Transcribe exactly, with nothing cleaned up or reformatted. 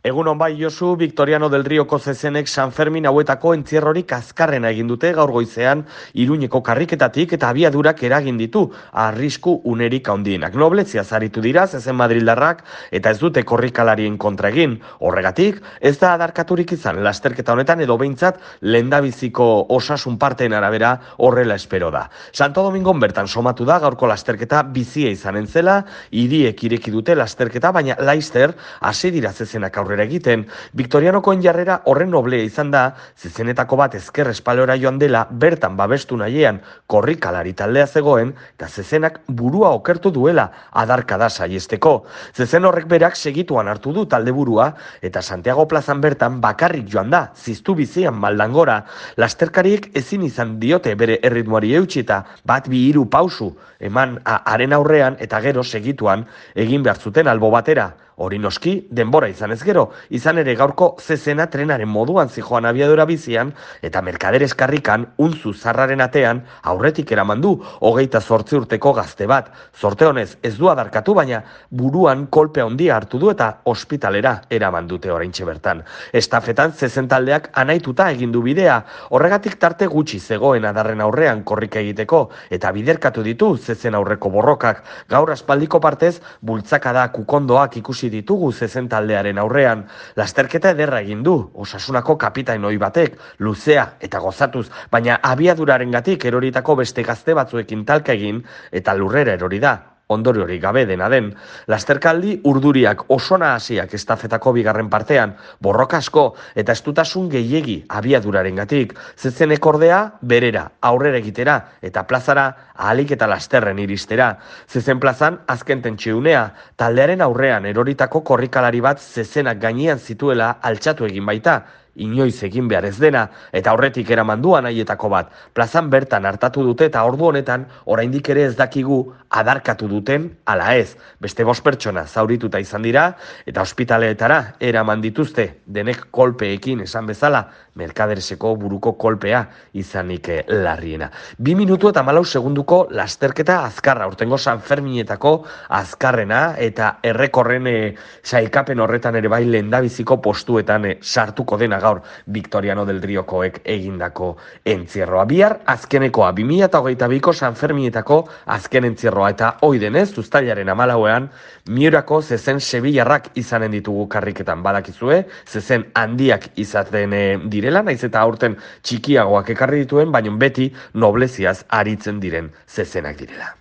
Egun on bai Josu, Victoriano del Rioko zezenek San Fermin hauetako entzierrorik azkarrena egin dute gaur goizean Iruñeko karriketatik eta abiadurak eragin ditu arrisku unerik handienak. Noblezia zaritu dira zezen madrildarrak eta ez dute korrikalarien kontra egin. Horregatik, ez da adarkaturik izan lasterketa honetan edo behintzat lehendabiziko osasun parteen arabera horrela espero da. Santo Domingon bertan somatu da gaurko lasterketa bizia izanen zela, hiriek ireki dute lasterketa, baina Laister hasi dira zezenak aurrera egiten. Victorianokoen jarrera horren noblea izan da, zezenetako bat ezker espalora joan dela, bertan babestu nahiean korrikalari taldea zegoen, eta zezenak burua okertu duela adarkada saiesteko. Zezen horrek berak segituan hartu du talde burua, eta Santiago plazan bertan bakarrik joan da, ziztu bizian maldangora. Lasterkariek ezin izan diote bere erritmoari eutsi eta bat bi hiru pausu eman haren aurrean eta gero segituan egin behar zuten albo batera. Hori noski, denbora izan ez gero, izan ere gaurko zezena trenaren moduan zijoan abiadura bizian, eta merkaderes karrikan, untzu zarraren atean, aurretik eraman du, hogeita zortzi urteko gazte bat. Zorte honez, ez du adarkatu, baina buruan kolpe handia hartu du eta ospitalera eraman dute oraintxe bertan. Estafetan zezen taldeak anaituta egin du bidea, horregatik tarte gutxi zegoen adarren aurrean korrika egiteko, eta biderkatu ditu zezen aurreko borrokak. Gaur aspaldiko partez, bultzakada kukondoak ikusi ditugu zezen taldearen aurrean. Lasterketa ederra egin du, Osasunako kapitain ohi batek, luzea eta gozatuz, baina abiadurarengatik eroritako beste gazte batzuekin talka egin eta lurrera erori da. Ondoriorik gabe dena den. Lasterkaldi urduriak osona hasiak estafetako bigarren partean, borroka asko eta estutasun gehiegi abiadurarengatik. Zezenek ordea berera, aurrera egitera eta plazara ahalik eta lasterren iristera. Zezen plazan azken tentsiunea, taldearen aurrean eroritako korrikalari bat zezenak gainean zituela altxatu egin baita. Inoiz egin behar ez dena, eta horretik eraman du anaietako bat. Plazan bertan hartatu dute eta ordu honetan oraindik ere ez dakigu adarkatu duten ala ez. Beste bost pertsona zaurituta izan dira eta ospitaleetara eraman dituzte, denek kolpeekin esan bezala, merkadereseko buruko kolpea izanik larriena. Bi minutu eta malau segunduko lasterketa azkarra, urtengo San Ferminetako azkarrena eta errekorren e, sailkapen horretan ere bai lehendabiziko postuetan e, sartuko dena gaur Victoriano del Riokoek egindako entzierroa. Bihar azkenekoa, bi mila hogeita biko San Ferminetako azken entzierroa eta hoi denez, uztailaren hamalauean, Miurako zezen sebillarrak izanen ditugu karriketan badakizue, zezen handiak izaten e, direla, naiz eta aurten txikiagoak ekarri dituen, baina beti nobleziaz aritzen diren zezenak direla.